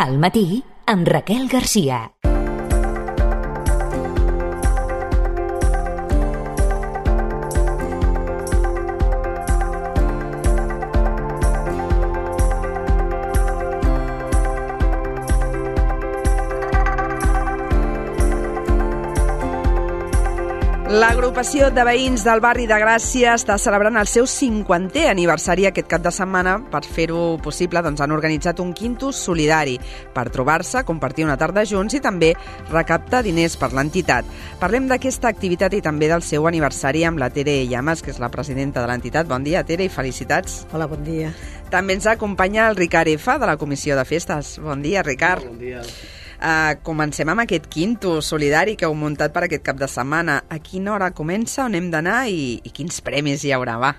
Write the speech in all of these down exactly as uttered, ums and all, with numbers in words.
Al matí, amb Raquel Garcia. L'agrupació de veïns del barri de Gràcia està celebrant el seu cinquantè aniversari aquest cap de setmana. Per fer-ho possible, doncs, han organitzat un quintus solidari per trobar-se, compartir una tarda junts i també recaptar diners per l'entitat. Parlem d'aquesta activitat i també del seu aniversari amb la Tere Llamas, que és la presidenta de l'entitat. Bon dia, Tere, i felicitats. Hola, bon dia. També ens acompanya el Ricard F, de la Comissió de Festes. Bon dia, Ricard. Bon dia. Uh, comencem amb aquest quintus solidari que heu muntat per aquest cap de setmana. A quina hora comença, on hem d'anar i, i quins premis hi haurà, va?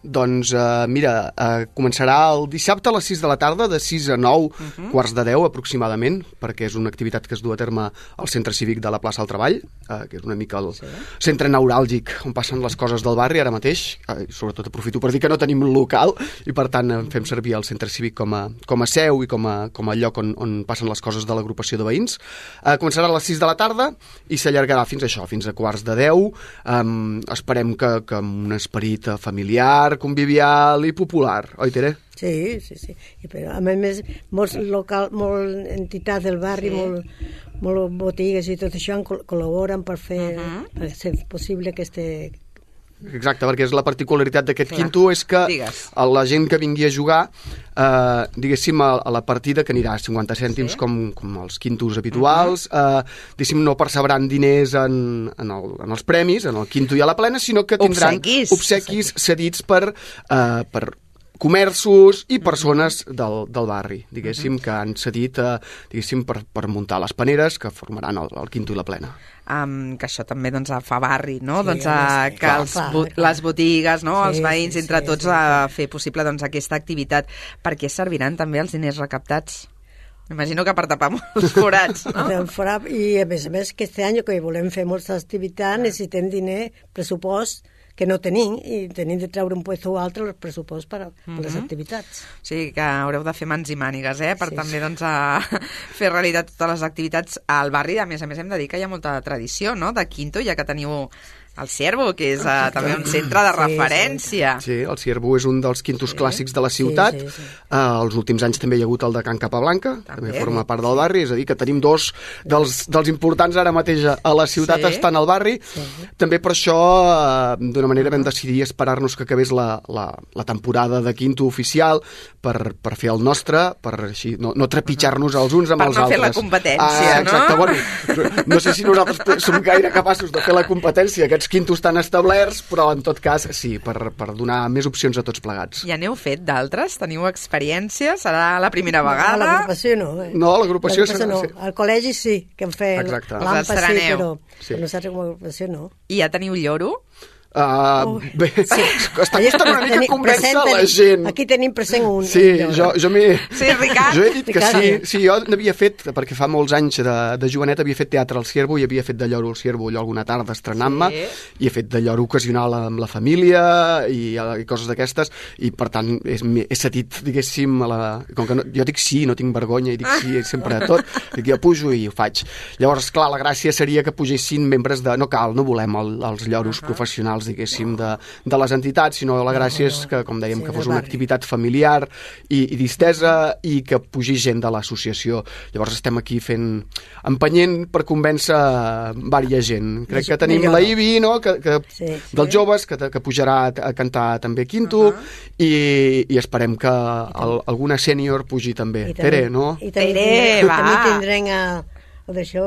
Doncs, uh, mira, uh, començarà el dissabte a les sis de la tarda, de sis a nou, uh-huh. quarts de deu aproximadament, perquè és una activitat que es du a terme al Centre Cívic de la plaça del Treball, uh, que és una mica el sí. centre neuràlgic on passen les coses del barri ara mateix. Uh, sobretot aprofito per dir que no tenim local i per tant uh, fem servir el Centre Cívic com a, com a seu i com a, com a lloc on, on passen les coses de l'agrupació de veïns. Uh, començarà a les sis de la tarda i s'allargarà fins a això, fins a quarts de deu. Um, esperem que, que amb un esperit familiar, convivial i popular, oi, Tere? Sí, sí, sí. I però, a més, molts local, molt entitats del barri, sí. molt, molt botigues i tot això col·laboren per fer, uh-huh. per ser possible que este... Exacte, perquè és la particularitat d'aquest quinto és que Digues. la gent que vingui a jugar, eh, diguéssim, a, a la partida, que anirà a cinquanta cèntims sí. com, com els quintos habituals, uh-huh. eh, diguéssim, no percebran diners en, en, el, en els premis, en el quinto i a la plena, sinó que tindran obsequis, obsequis cedits per... Eh, per comerços i persones del, del barri, diguéssim, uh-huh. que han cedit eh, diguéssim, per, per muntar les paneres que formaran el, el quinto i la plena. Um, que això també doncs, fa barri, no? Sí, doncs, uh, sí, que clar, els, clar, bo- clar. les botigues, no? Sí, els veïns, sí, entre sí, tots, sí, a fer possible doncs, aquesta activitat. Per què serviran també els diners recaptats? M'imagino que per tapar molts forats, no? I a més a més, que este any que volem fer moltes activitats necessitem diner, pressupost, que no tenim, i tenim de treure un puesto o altre el pressupost per a uh-huh. les activitats. O sigui que haureu de fer mans i mànigues, eh? Per sí, també sí. doncs, a fer realitat totes les activitats al barri. A més a més, hem de dir que hi ha molta tradició, no?, de quinto, ja que teniu el Ciervo, que és uh, també un centre de referència. Sí, sí, el Ciervo és un dels quintos sí. clàssics de la ciutat. Sí, sí, sí. Uh, els últims anys també hi ha hagut el de Can Capablanca, també, també forma part del barri, és a dir, que tenim dos dels, dels importants ara mateix a la ciutat sí. estan al barri. Sí. També per això, uh, d'una manera, vam decidir esperar-nos que acabés la, la, la temporada de quinto oficial per, per fer el nostre, per així, no, no trepitjar-nos els uns amb per els no altres. Per no fer la competència, ah, exacte, no? Bueno, no sé si nosaltres som gaire capaços de fer la competència, aquests quintos tan establerts, però en tot cas sí, per, per donar més opcions a tots plegats. Ja n'heu fet d'altres? Teniu experiència? Serà la primera vegada? No, l'agrupació no. Eh? No, l'agrupació... no. Al col·legi sí, que hem fet l'Ampa sí, però, sí. però nosaltres com a agrupació no. I ja teniu lloro? Uh, bé, sí. Està costant una mica convèncer la gent. Aquí tenim present un. Sí, jo, jo m'he... Sí, Ricard. Jo he dit que sí, sí, jo n'havia fet, perquè fa molts anys de, de jovenet havia fet teatre al Ciervo i havia fet de lloro al Ciervo allò alguna tarda estrenant-me sí. i he fet de lloro ocasional amb la família i, i coses d'aquestes i per tant és, he sentit, diguéssim, a la... com que no, jo dic sí, no tinc vergonya i dic sí sempre a tot, dic jo pujo i ho faig. Llavors, clar, la gràcia seria que pugessin membres de... No cal, no volem el, els lloros uh-huh. professionals diguéssim, de, de les entitats, sinó la gràcia és que, com dèiem, sí, que fos una activitat familiar i, i distesa i que pugi gent de l'associació. Llavors estem aquí fent, empenyent per convèncer vària gent. Crec que tenim la Ibi, no?, que, que, sí, sí. dels joves, que, que pujarà a cantar també quinto, uh-huh. i, i esperem que el, alguna sènior pugi també. també Tere, no? I també, Tere, va! També tindrem a... D'això,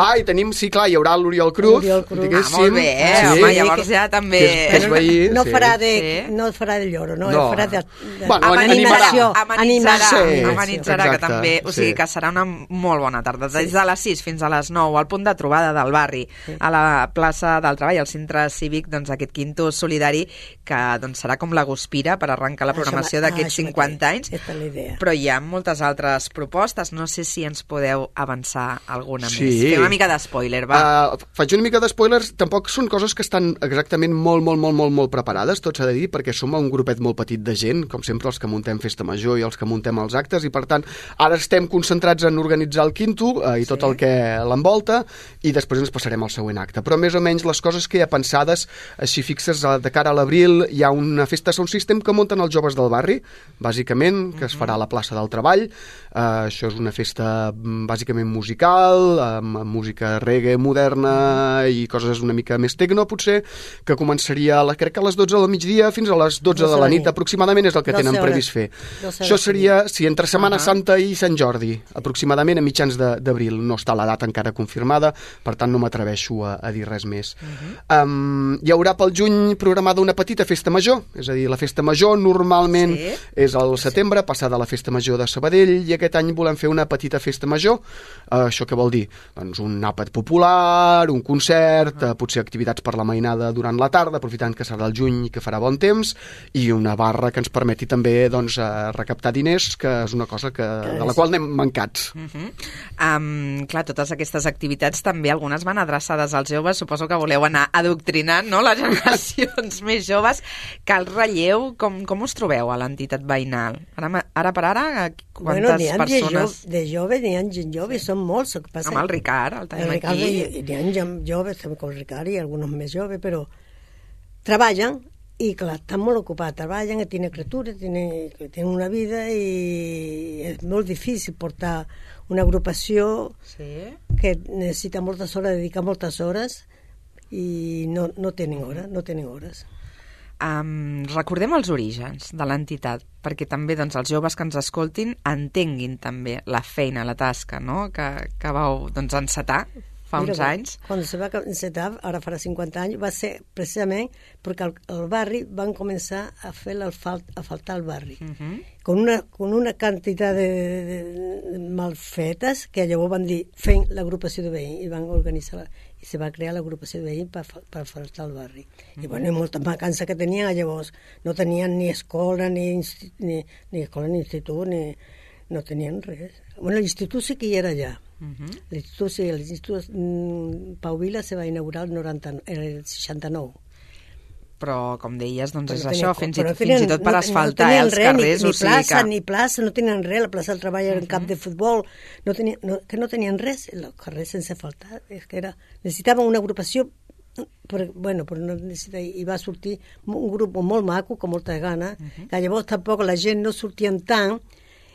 ah, i tenim, sí, clar, hi haurà l'Oriol Cruz. Cruz. Ah, molt bé, eh? Sí. Home, llavors ja també... Que és, que és veí, no, sí. farà de, sí. no farà de lloro, no, no. farà de, de bueno, animació. Amenitzarà, sí, amenitzarà sí. que també... O sigui, sí. que serà una molt bona tarda. Des de les sis fins a les nou, al punt de trobada del barri, sí. a la plaça del Treball, al centre cívic, doncs aquest quinto solidari, que doncs, serà com la guspira per arrencar la programació d'aquests cinquanta anys. Aquesta és la idea. Però hi ha moltes altres propostes. No sé si ens podeu avançar alguna Sí. més. Fem una mica d'espoiler, va. Uh, faig una mica d'espoilers, tampoc són coses que estan exactament molt, molt, molt, molt, molt preparades, tot s'ha de dir, perquè som un grupet molt petit de gent, com sempre els que muntem Festa Major i els que muntem els actes, i per tant, ara estem concentrats en organitzar el quinto uh, i tot Sí. el que l'envolta, i després ens passarem al següent acte. Però més o menys les coses que hi ha pensades, així fixes, de cara a l'abril, hi ha una festa sound system que munten els joves del barri, bàsicament, que es farà a la plaça del Treball. Uh, això és una festa bàsicament musical, amb, amb música reggae moderna i coses una mica més tecno, potser, que començaria, a la, crec que a les dotze del migdia fins a les dotze de la nit, aproximadament, és el que tenen previst fer. Això seria, si entre Setmana uh -huh. Santa i Sant Jordi, aproximadament a mitjans d'abril. No està la data encara confirmada, per tant no m'atreveixo a, a dir res més. Uh -huh. um, hi haurà pel juny programada una petita festa major, és a dir, la festa major normalment sí. és al setembre, passada la festa major de Sabadell, i aquest any volem fer una petita festa major. Uh, això què vol dir? Doncs un àpat popular, un concert, uh, potser activitats per la mainada durant la tarda, aprofitant que serà el juny i que farà bon temps, i una barra que ens permeti també doncs, uh, recaptar diners, que és una cosa que, de la qual anem mancats. Uh -huh. um, clar, totes aquestes activitats també, algunes van adreçades als joves, suposo que voleu anar adoctrinant, no?, les generacions més joves, que el relleu, com, com us trobeu a l'entitat veïnal? Ara, ara per ara, quantes bueno, persones? De, jo, de jove n'hi ha gent jove, sí. Són molts. El que passa, amb el Ricard, el tenim el Ricard, aquí. N'hi ha joves, també com el Ricard, i alguns més joves, però treballen, i clar, estan molt ocupats, treballen, tenen criatures, tenen, tenen una vida, i és molt difícil portar una agrupació sí. que necessita moltes hores, dedicar moltes hores, i no, no tenen hores, no tenen hores. Um, recordem els orígens de l'entitat, perquè també doncs, els joves que ens escoltin entenguin també la feina, la tasca, no?, que, que vau doncs, encetar fa Mira, uns anys. Quan se va encetar, ara farà cinquanta anys, va ser precisament perquè al, al barri van començar a fer l'asfalt, a faltar el barri. Uh -huh. con, una, con una quantitat de, de, de malfetes que llavors van dir fent l'agrupació de veïns i van organitzar i se va crear l'agrupació de veïns per, per faltar el barri. Uh -huh. I bueno, molta mancança que tenien, llavors no tenien ni escola, ni, ni, ni escola, ni institut, ni, no tenien res. Bueno, l'institut sí que hi era allà. Uh-huh. L'institut, sí, l'institut mm, Pau Vila se va inaugurar el, noranta, el seixanta-nou. Però, com deies, doncs és no això, tenia, fins, i, no fins i tot per no, asfaltar no eh, els res, carrers. Ni, ni o sigui plaça, que... ni plaça, no tenien res, la plaça del Treball era un uh-huh. camp de futbol, no tenien, no, que no tenien res, els carrers sense faltar, és que era, necessitaven una agrupació, però, bueno, però no necessita, i va sortir un grup molt maco, com molta gana, uh-huh. que llavors tampoc la gent no sortien tant,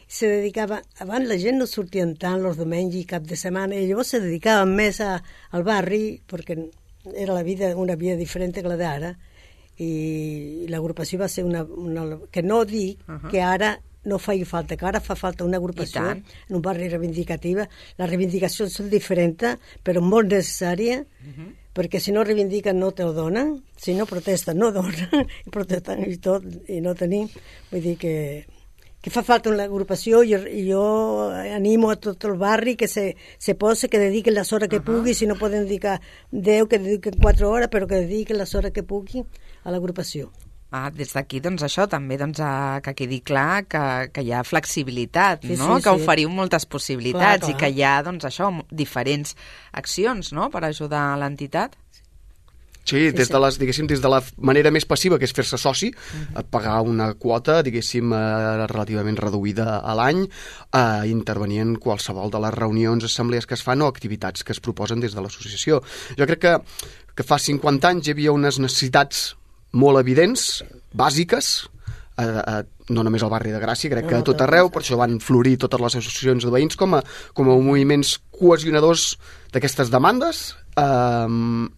se dedicava, abans la gent no sortien tant els diumenges i cap de setmana, i llavors se dedicaven més a, al barri, perquè era la vida, una vida diferent que la d'ara, i l'agrupació va ser una, una que no dic uh-huh. que ara no faci falta, que ara fa falta una agrupació en un barri reivindicativa. Les reivindicacions són diferents, però molt necessàries, uh-huh. perquè si no reivindiquen no te ho donen, si no protesten no donen, i protesten i tot, i no tenim. Vull dir que que fa falta una agrupació, i jo, jo animo a tot el barri que se, se posi, que dediquen les hores que uh-huh. pugui, si no poden dedicar deu, que dediquen quatre hores, però que dediquen les hores que pugui a l'agrupació. Ah, des d'aquí, doncs això, també doncs, a, que quedi clar que, que hi ha flexibilitat, sí, no? Sí, que sí. oferiu moltes possibilitats clar, clar. I que hi ha, doncs això, diferents accions, no?, per ajudar a l'entitat. Sí, des de les, diguéssim, des de la manera més passiva, que és fer-se soci, uh-huh. pagar una quota, diguéssim, eh, relativament reduïda a l'any, eh, intervenir en qualsevol de les reunions, assemblees que es fan o activitats que es proposen des de l'associació. Jo crec que, que fa cinquanta anys hi havia unes necessitats molt evidents, bàsiques, eh, eh, no només al barri de Gràcia, crec que a tot arreu, per això van florir totes les associacions de veïns com a, com a moviments cohesionadors d'aquestes demandes, eh,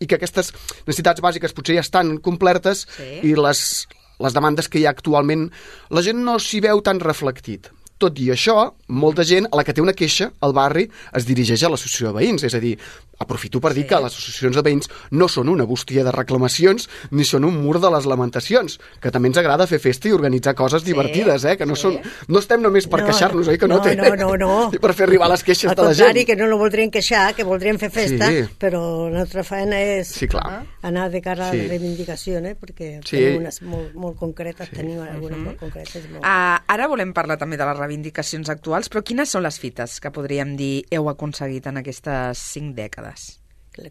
i que aquestes necessitats bàsiques potser ja estan complertes sí. i les, les demandes que hi ha actualment la gent no s'hi veu tan reflectit. Tot i això, molta gent a la que té una queixa al barri es dirigeix a l'associació de veïns, és a dir, aprofito per dir sí. que les associacions de veïns no són una bústia de reclamacions ni són un mur de les lamentacions, que també ens agrada fer festa i organitzar coses sí. divertides, eh? que no, sí. són, no estem només per no, queixar-nos, oi que no, no té? No, no, no. I per fer arribar les queixes al de la gent. Al contrari, que no no voldrien queixar, que voldrien fer festa, sí. però la nostra feina és sí, clar. anar de cara sí. a la reivindicació, eh? perquè sí. tenim unes molt, molt concretes, sí. tenim algunes uh-huh. molt concretes. Molt... Uh, ara volem parlar també de la reivindicació reivindicacions actuals, però quines són les fites que podríem dir heu aconseguit en aquestes cinc dècades?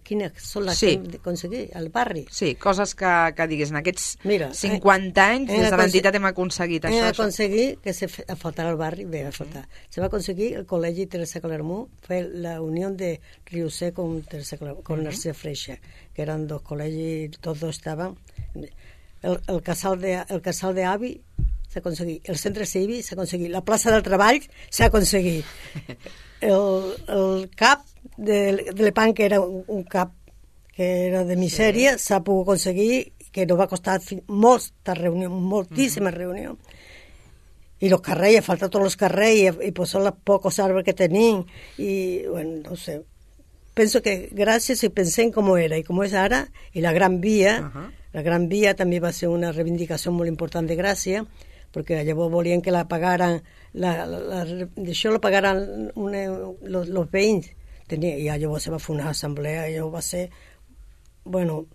Quines són les Sí. que hem d'aconseguir? Al barri? Sí, coses que, que diguis, en aquests Mira, cinquanta anys hem des de aconse- l'entitat hem aconseguit Hem això, això. aconseguit que se fe- a faltar al barri, bé, a faltar. Se va aconseguir el col·legi Teresa Clermont, fue la unión de Riusé con, Teresa Clermont, con Narcís Freixa, que eran dos col·legis, tots dos estaven. El, el casal de, el casal de avi s'ha aconseguit, el centre cívic s'ha aconseguit, la plaça del treball s'ha aconseguit. El, el cap de, de l'Epan, que era un, un cap que era de misèria, s'ha sí. pogut aconseguir, que no va costar fi- moltes reunions, moltíssimes uh -huh. reunions. I els carrers, ha faltat tots els carrers, i, i pues són els pocs arbres que tenim, i, bueno, no sé. Penso que gràcies, si pensem com era i com és ara, i la Gran Via, uh -huh. la Gran Via també va ser una reivindicació molt important de Gràcia, perquè llavors volien que la pagaran, la, la, la, això la pagaran una, los, los veïns, tenia, i llavors se va fer una assemblea, i llavors va ser, bueno,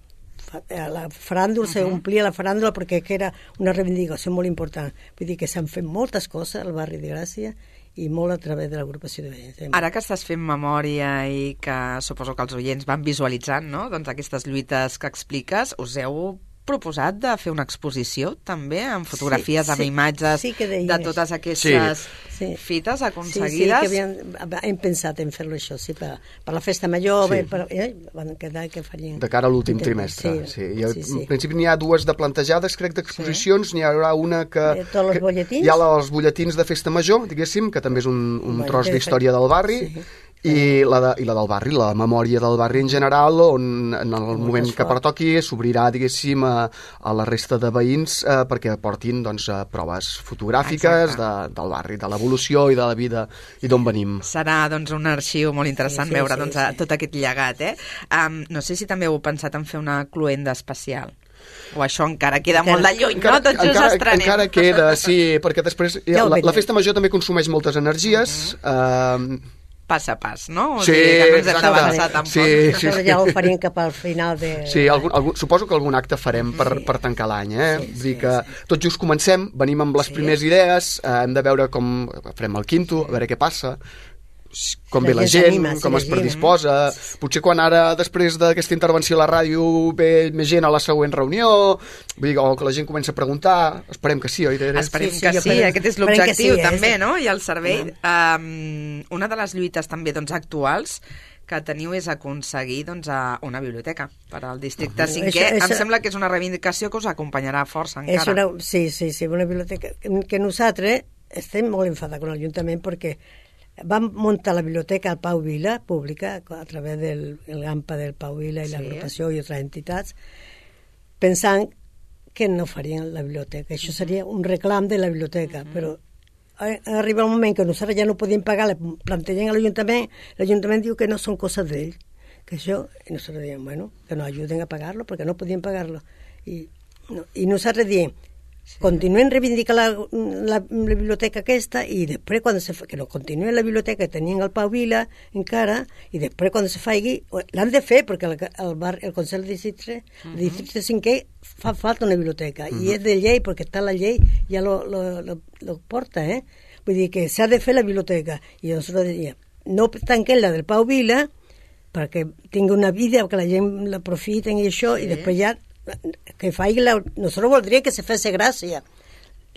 la faràndula, uh -huh. se omplia la faràndula perquè que era una reivindicació molt important. Vull dir que s'han fet moltes coses al barri de Gràcia i molt a través de l'agrupació de veïns. Ara que estàs fent memòria i que suposo que els oients van visualitzant, no?, doncs aquestes lluites que expliques, us heu proposat de fer una exposició també amb fotografies, sí, amb sí, imatges sí que de totes aquestes sí. fites aconseguides? Sí, sí, que havien, hem pensat en fer-lo això, sí, per, per la festa major, Sí. per, eh, van quedar que farien... De cara a l'últim trimestre, sí. sí. I al sí, sí. principi n'hi ha dues de plantejades, crec, d'exposicions, sí. n'hi haurà una que... Eh, tots els que butlletins? hi ha els butlletins de festa major, diguéssim, que també és un, un Bueno, tros que- d'història del barri, sí. i la, de, i la del barri, la memòria del barri en general, on en el moment que pertoqui s'obrirà, diguéssim, a, a la resta de veïns eh, perquè aportin doncs, eh, proves fotogràfiques de, del barri, de l'evolució i de la vida i d'on venim. Serà doncs, un arxiu molt interessant Sí, sí, veure sí, doncs, sí. tot aquest llegat. Eh? Um, no sé si també heu pensat en fer una cluenda especial. O això encara queda Encara- molt de lluny, Encara, no? Tot just encara, estrenem. encara queda, sí, perquè després Ja ho la, la veurem. festa major també consumeix moltes energies. Uh -huh. eh, Pas a pas, no? O Sí, sigui, que no ens hem exacte. d'avançar tampoc. Sí, sí, Això sí. ja ho farien cap al final de... Sí, algun, algun, suposo que algun acte farem per, Sí. per tancar l'any, eh? Sí, Vull dir sí, que sí. tot just comencem, venim amb les Sí. primeres idees, eh, hem de veure com farem el quinto, a veure què passa, com Si ve la la gent gent, s'anima, si com la es gent- predisposa. Potser quan ara, després d'aquesta intervenció a la ràdio, ve més gent a la següent reunió, vull dir, o que la gent comença a preguntar, esperem que sí, oi, Tere? Esperem Sí, sí, que jo sí, espero- aquest és esperem que l'objectiu sí, eh? també, no? I el servei. Um, una de les lluites també doncs, actuals que teniu és aconseguir doncs, a una biblioteca per al districte Uh-huh. cinquè. Això- això- Em sembla que és una reivindicació que us acompanyarà força És encara. una, sí, sí, sí, una biblioteca que nosaltres estem molt enfadats amb l'Ajuntament perquè vam muntar la biblioteca al Pau Vila, pública, a través del el GAMPA del Pau Vila i Sí. l'agrupació i altres entitats, pensant que no farien la biblioteca. Això seria un reclam de la biblioteca, uh-huh. però ha arribat un moment que nosaltres ja no podíem pagar, le plantegem a l'Ajuntament, l'Ajuntament diu que no són coses d'ell, que això, i nosaltres diem, bueno, que nos ajuden a pagar-lo, perquè no podíem pagar-lo. I, no, i nosaltres diem, sí. Continuem reivindicant la, la, la biblioteca aquesta i després quan se fa, que no continuen la biblioteca que tenien el Pau Vila encara i després quan se faci l'han de fer perquè el, el, bar, el Consell de Districte, uh -huh. el Districte cinquè fa falta una biblioteca uh -huh. i és de llei perquè està la llei ja lo, lo, lo, lo porta, eh? Vull dir que s'ha de fer la biblioteca i nosaltres diríem, no tanquem la del Pau Vila perquè tingui una vida, que la gent l'aprofiten i això, sí. I després ja que faci la... Nosaltres voldríem que se fes gràcia.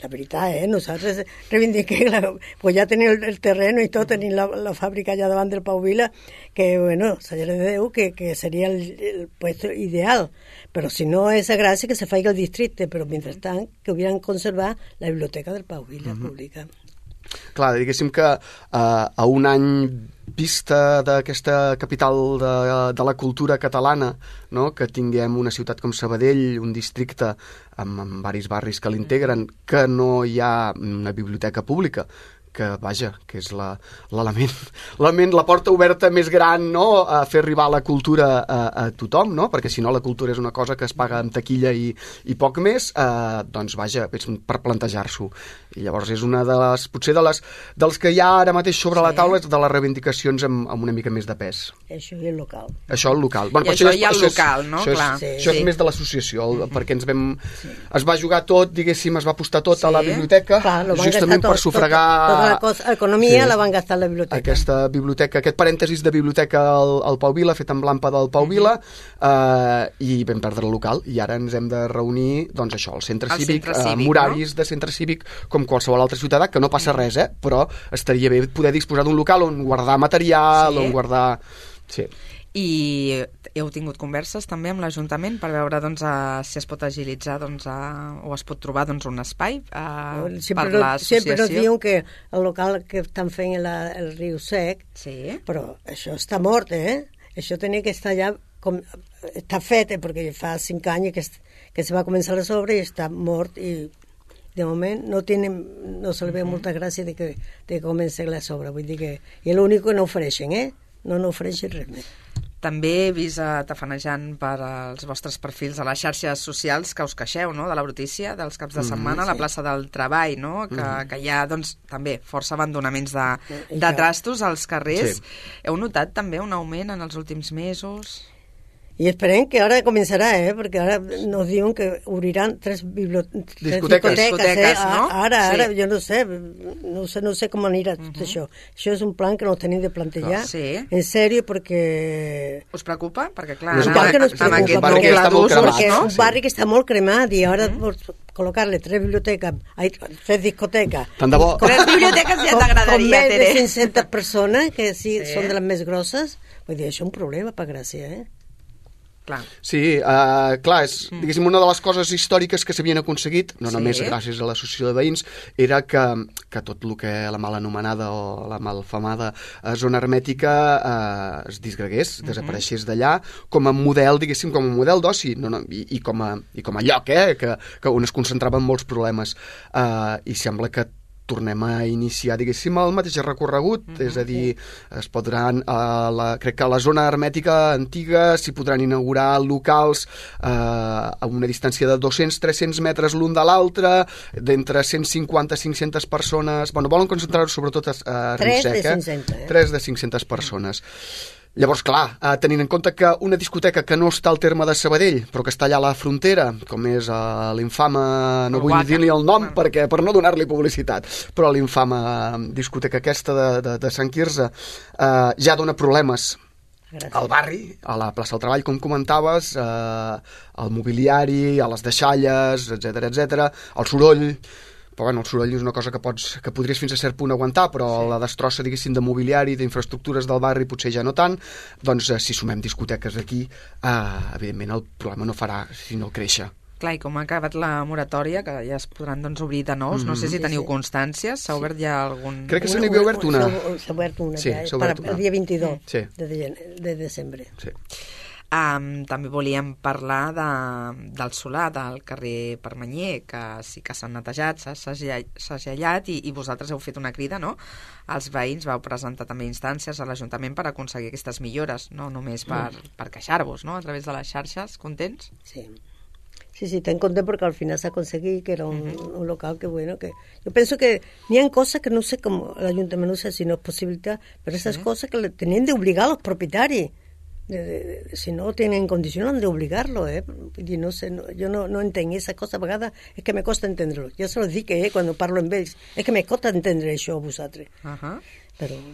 La veritat, eh? Nosaltres reivindiquem, la... pues ja tenim el, el terreno i tot, tenim la, la fàbrica allà davant del Pau Vila, que, bueno, s'agrada de Déu, que, que seria el, el puesto ideal. Però si no és a gràcia, que se faci el districte, però mentrestant que hubieran conservar la biblioteca del Pau Vila uh-huh. pública. Clar, diguéssim que uh, a un any vista d'aquesta capital de, de la cultura catalana, no? Que tinguem una ciutat com Sabadell, un districte amb, amb varis barris que l'integren, que no hi ha una biblioteca pública, que, vaja, que és la, l'element, l'element, la porta oberta més gran, no?, a fer arribar la cultura a, a tothom, no?, perquè si no la cultura és una cosa que es paga amb taquilla i, i poc més, eh, doncs, vaja, és per plantejar-s'ho. I llavors és una de les, potser de les, dels que hi ha ara mateix sobre sí. la taula, és de les reivindicacions amb, amb una mica més de pes. Això i el local. Això el local. Bueno, I això, això hi ha el local, no? Això, és, Clar. sí, sí. això és sí. més de l'associació, Mm-hmm. perquè ens vam... Sí. Es va jugar tot, diguéssim, es va apostar tot sí. a la biblioteca, Clar, justament tot, per sufragar... Tot, tota la cosa, economia sí. la van gastar a la biblioteca. Aquesta biblioteca, aquest parèntesis de biblioteca al, al Pau Vila, fet amb l'ampa del Pau Vila, eh, i vam perdre el local, i ara ens hem de reunir, doncs això, al centre el cívic, centre cívic amb horaris no? de centre cívic, com qualsevol altre ciutadà, que no passa res, eh? Però estaria bé poder disposar d'un local on guardar material, sí. on guardar... Sí. I heu tingut converses també amb l'Ajuntament per veure doncs, a, si es pot agilitzar doncs, a, o es pot trobar doncs, un espai a, sempre per no, l'associació? Sempre nos diuen que el local que estan fent el, el Riu Sec, sí. però això està mort, eh? Això tenia que estar ja com, està fet, eh? Perquè fa cinc anys que, que se va començar les obres i està mort i de moment no tienen, no se li ve molta gràcia de que, de que comenci les obres, vull dir que i l'únic que no ofereixen, eh? No n'ofereixen res més. També he vist uh, tafanejant per als vostres perfils a les xarxes socials que us queixeu, no?, de la brutícia dels caps de setmana, mm, sí. a la plaça del Treball, no?, que, mm. que hi ha, doncs, també força abandonaments de, de trastos als carrers. Sí. Heu notat també un augment en els últims mesos? I esperem que ara començarà, eh? Perquè ara nos diuen que obriran tres, biblioteques, discoteques, tres discoteques eh? no? Ara, ara, sí. jo no sé, no sé, no sé com anirà tot uh-huh. això. Això és un plan que no tenim de plantejar, sí. en sèrio, perquè... Us preocupa? Perquè, clar, no, amb, que no amb aquest barri doble d'ús, no? no? És un barri que està molt cremat i ara uh-huh. col·locar-li tres biblioteques, tres discoteques... Tant de bo. Tres biblioteques ja t'agradaria, Tere. Com més de cinc-centes persones, que sí, sí. són de les més grosses, vull dir, això és un problema per Gràcia, eh? Clar. Sí, uh, clar, és, diguéssim, una de les coses històriques que s'havien aconseguit, no sí. només gràcies a l'associació de veïns, era que, que tot el que la mal anomenada o la malfamada uh, zona hermètica uh, es disgregués, uh-huh. desapareixés d'allà, com a model, diguéssim, com a model d'oci, no, no, i, i, com a, i com a lloc, eh, que, que on es concentraven molts problemes. Uh, I sembla que tornem a iniciar, diguéssim, el mateix recorregut, mm-hmm. és a dir, es podran, uh, la, crec que a la zona hermètica antiga s'hi podran inaugurar locals uh, a una distància de dos-cents a tres-cents metres l'un de l'altre, d'entre cent cinquanta a cinc-centes persones, bueno, volen concentrar-ho sobretot a, a Riu Sec, eh? tres de cinc-centes persones. Llavors, clar, eh, tenint en compte que una discoteca que no està al terme de Sabadell, però que està allà a la frontera, com és eh, l'infame, no vull dir-li el nom perquè per no donar-li publicitat, però l'infame discoteca aquesta de, de, de Sant Quirze, eh, ja dona problemes Gràcies. Al barri, a la plaça del Treball, com comentaves, eh, al mobiliari, a les deixalles, etcètera, etcètera, al soroll. Però bueno, el soroll és una cosa que, pots, que podries fins a cert punt aguantar, però sí. la destrossa, diguéssim, de mobiliari, d'infraestructures del barri potser ja no tant, doncs eh, si sumem discoteques aquí, eh, evidentment el problema no farà sinó créixer. Clar, i com ha acabat la moratòria, que ja es podran doncs, obrir de nous, mm-hmm. no sé si teniu constàncies, s'ha obert ja algun... Crec que se n'hi havia obert una. S'ha obert una, sí, ja, obert per, una. el dia vint-i-dos sí. de, de, de desembre. Sí. Um, també volíem parlar de, del solar del carrer Permanyer, que sí que s'han netejat, s'ha segellat i, i vosaltres heu fet una crida, no? Els veïns vau presentar també instàncies a l'Ajuntament per aconseguir aquestes millores, no només per, mm. per queixar-vos, no? A través de les xarxes, contents? Sí. Sí, sí, tan content porque al final se ha conseguido que era un, uh-huh. un local que bueno, que yo pienso que ni hay cosas que no sé cómo el ayuntamiento no sé si no es posibilidad, pero esas sí. cosas que le tenían de obligar a los propietarios. De, de, de, si no tienen condiciones de obligarlo, eh? Y no sé, no, yo no, no entenc esas cosas a vegades, és que me costa entendre-lo. Jo se los dic, eh, quan parlo amb ells, és que me costa entendre això a vosaltres. Uh-huh. Però...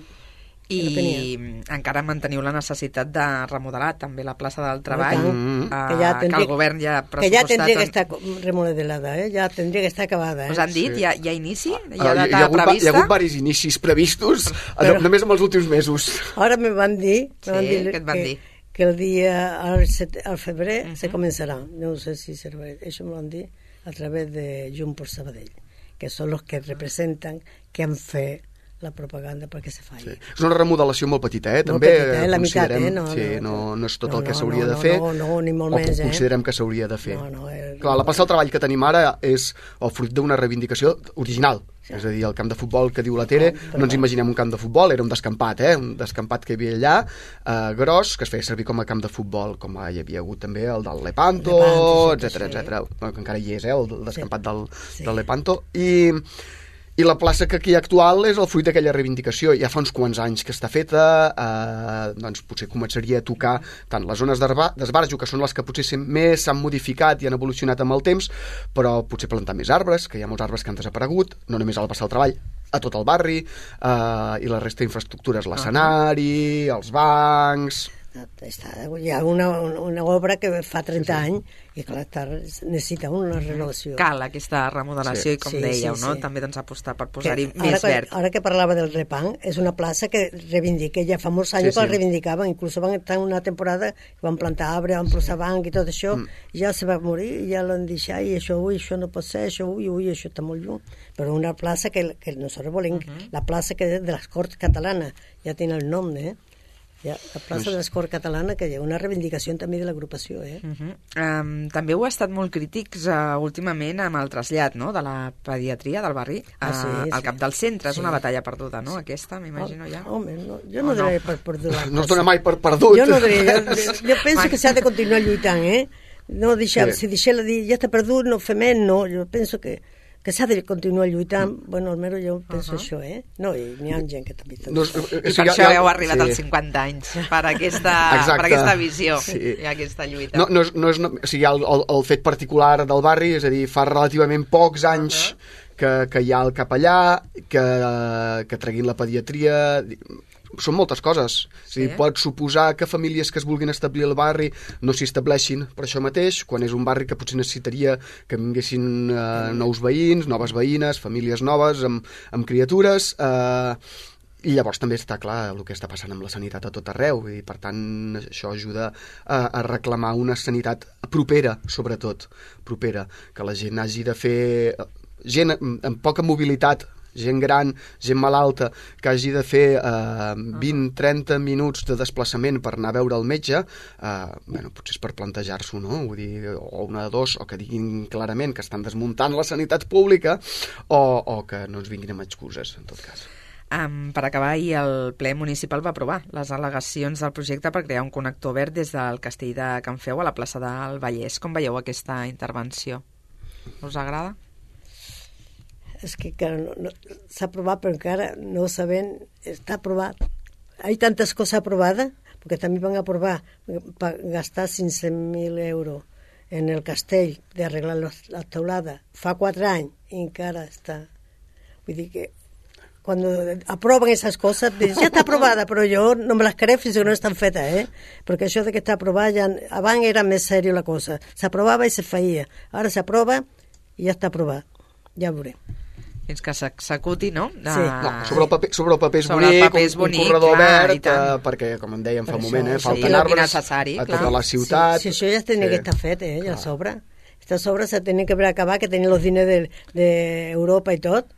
I encara manteniu la necessitat de remodelar també la plaça del Treball, mm-hmm. uh, que, ja tendria, que el govern ja ha pressupostat... Que ja tendria que estar remodelada, eh? Ja tendria que estar acabada. Eh? Us han dit? Sí. Hi, ha, hi ha inici? Hi ha data hi ha hagut, prevista? Hi ha hagut varis inicis previstos, però, només en els últims mesos. Ara me van dir... Me sí, van dir què et van que, dir? Que el dia, al, set, al febrer, uh-huh. se començarà. No sé si serà... Això me lo han dit a través de Junts per Sabadell, que són els que representen que han fet la propaganda perquè se faci. Sí. És una remodelació molt petita, eh? Molt També petita, eh? La meitat, eh? No, sí, no, no és tot no, el que no, s'hauria no, de fer. No, no, ni molt o més, eh? considerem que s'hauria de fer. No, no, eh, Clar, la plaça del Treball que tenim ara és el fruit d'una reivindicació original. Sí. És a dir, el camp de futbol que diu la Tere, no, no ens imaginem un camp de futbol, era un descampat, eh? Un descampat que hi havia allà, eh, gros, que es feia servir com a camp de futbol, com hi havia hagut també el del Lepanto, etcètera, etcètera. Bueno, que encara hi és, eh? El descampat sí. del, sí. del Lepanto. I... I la plaça que aquí hi ha actual és el fruit d'aquella reivindicació. Ja fa uns quants anys que està feta, eh, doncs potser començaria a tocar tant les zones d'esbarjo, que són les que potser més s'han modificat i han evolucionat amb el temps, però potser plantar més arbres, que hi ha molts arbres que han desaparegut, no només al Passar el Treball, a tot el barri, eh, i la resta d'infraestructures, l'escenari, els bancs... Està, hi ha una, una obra que fa trenta sí, sí. anys i clar, està, necessita una renovació. Cal aquesta remodelació sí. i com sí, dèieu, sí, no? Sí. També doncs apostar per posar-hi més ara, verd. Ara que parlava del Repang, és una plaça que reivindica, ja fa molts anys sí, que sí. la reivindicaven, inclús van estar una temporada que van plantar arbre, van posar banc i tot això, mm. i ja se va morir, i ja l'han deixat, i això, ui, això no pot ser, això, ui, ui, això està molt lluny. Però una plaça que, que nosaltres volem, uh -huh. la plaça que és de les Corts Catalanes, ja té el nom, eh? Ja, la plaça de l'Escort Catalana, que hi ha una reivindicació també de l'agrupació. Eh? Uh -huh. um, també heu estat molt crítics uh, últimament amb el trasllat, no?, de la pediatria del barri ah, sí, uh, sí. al cap del centre. Sí. És una batalla perduda, no?, aquesta, m'imagino ja. Home, no, jo no, no diré per perduda. No es dona mai per perdut. Jo no diré, jo, jo penso que s'ha de continuar lluitant, eh? No deixar, sí. Si deixar de dir, ja està perdut, no fem més, no. Jo penso que que s'ha de continuar lluitant, mm. bueno, almenys jo penso uh -huh. això, eh? No, i n'hi ha gent que també... No, I per això heu arribat sí. als cinquanta anys, per aquesta, per aquesta visió sí. i aquesta lluita. No, no, és, no és, no, o sigui, el, el, el fet particular del barri, és a dir, fa relativament pocs anys uh -huh. que, que hi ha el capellà, que, que treguin la pediatria... Són moltes coses. Sí. És a dir, pot suposar que famílies que es vulguin establir al barri no s'hi estableixin per això mateix, quan és un barri que potser necessitaria que vinguessin eh, nous veïns, noves veïnes, famílies noves, amb, amb criatures... Eh, I llavors també està clar el que està passant amb la sanitat a tot arreu i per tant això ajuda a, a reclamar una sanitat propera, sobretot, propera, que la gent hagi de fer... Gent amb poca mobilitat, gent gran, gent malalta, que hagi de fer eh, vint a trenta minuts de desplaçament per anar a veure el metge, eh, bueno, potser és per plantejar-s'ho, no? Vull dir, o una de dos, o que diguin clarament que estan desmuntant la sanitat pública, o, o que no ens vinguin amb excuses, en tot cas. Um, per acabar, ahir el ple municipal va aprovar les al·legacions del projecte per crear un connector verd des del castell de Can Feu a la plaça del Vallès. Com veieu aquesta intervenció? Us agrada? És que, que no, no, s'ha aprovat, però encara no sabem, està aprovat. Hi ha tantes coses aprovades, perquè també van aprovar per gastar cinc-cents mil euros en el castell d'arreglar la teulada fa quatre anys i encara està. Vull dir que quan aproven aquestes coses, ja està aprovada, però jo no me les crec fins que no estan fetes, eh? Perquè això de que està aprovada, ja, abans era més sèrio la cosa. S'aprovava i se feia. Ara s'aprova i ja està aprovat. Ja ho veurem. Fins que s'executi, no? De... Sí. No, sobre el paper, sobre el paper és bonic, paper és bonic, un corredor clar, verd, eh, perquè, com en dèiem fa un moment, eh, falten sí, arbres a tota la ciutat. Sí, sí, això ja tenia sí. que estar fet, eh, ja sobra. Aquestes obres se tenen que haver acabat, que tenien els diners d'Europa de, i tot,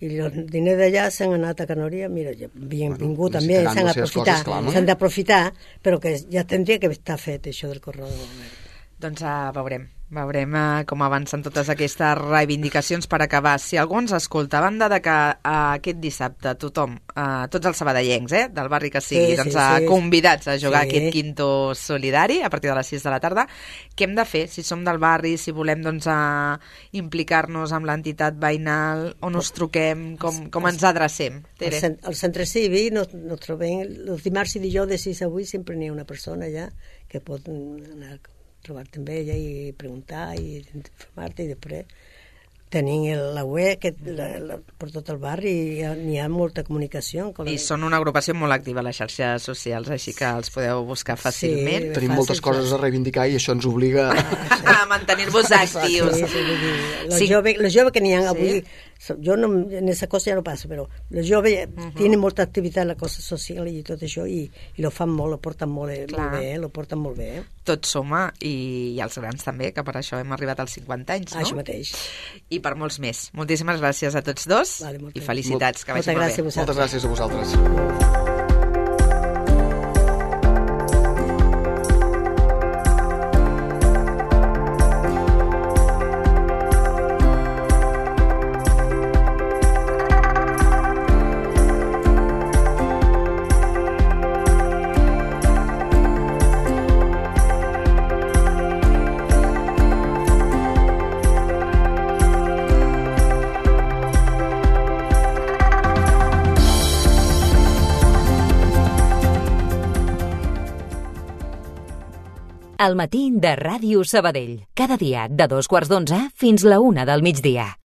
i els diners d'allà s'han anat a Canòria, mira, ja havien bueno, vingut també, s'han d'aprofitar, s'han d'aprofitar, però que ja tindria que estar fet, això del corredor verd. Doncs uh, veurem. Veurem uh, com avancen totes aquestes reivindicacions per acabar. Si algú ens escolta, a banda de que uh, aquest dissabte tothom, uh, tots els sabadellencs, eh, del barri que sigui, sí, doncs, sí, uh, sí. convidats a jugar sí. aquest quinto solidari a partir de les sis de la tarda, què hem de fer? Si som del barri, si volem doncs, uh, implicar-nos amb l'entitat veïnal, on us truquem, com, com ens adrecem? Al, cent, al centre cívic nos, nos trobem els dimarts i dijous de sis a vuit, sempre n'hi ha una persona allà que pot anar trobar-te amb ella i preguntar i informar-te, i després tenim el, la web que, la, la, per tot el barri i n'hi ha molta comunicació. I són una agrupació molt activa a les xarxes socials, així que els podeu buscar fàcilment. Sí, tenim fàcil, moltes coses a reivindicar i això ens obliga a mantenir-vos actius. Sí, sí, los sí. joves jove que n'hi ha avui, sí. jo no, en aquesta cosa ja no passo, però els joves uh -huh. tenen molta activitat en la cosa social i tot això, i, i lo fan molt, lo porten molt, molt bé, lo porten molt bé. Eh? Tot suma, i, i els grans també, que per això hem arribat als cinquanta anys, no? Això mateix. I per molts més. Moltíssimes gràcies a tots dos, vale, i felicitats, que vagi molt bé. Moltes gràcies a vosaltres. al matí de Ràdio Sabadell. Cada dia de dos quarts d'onze fins la una del migdia.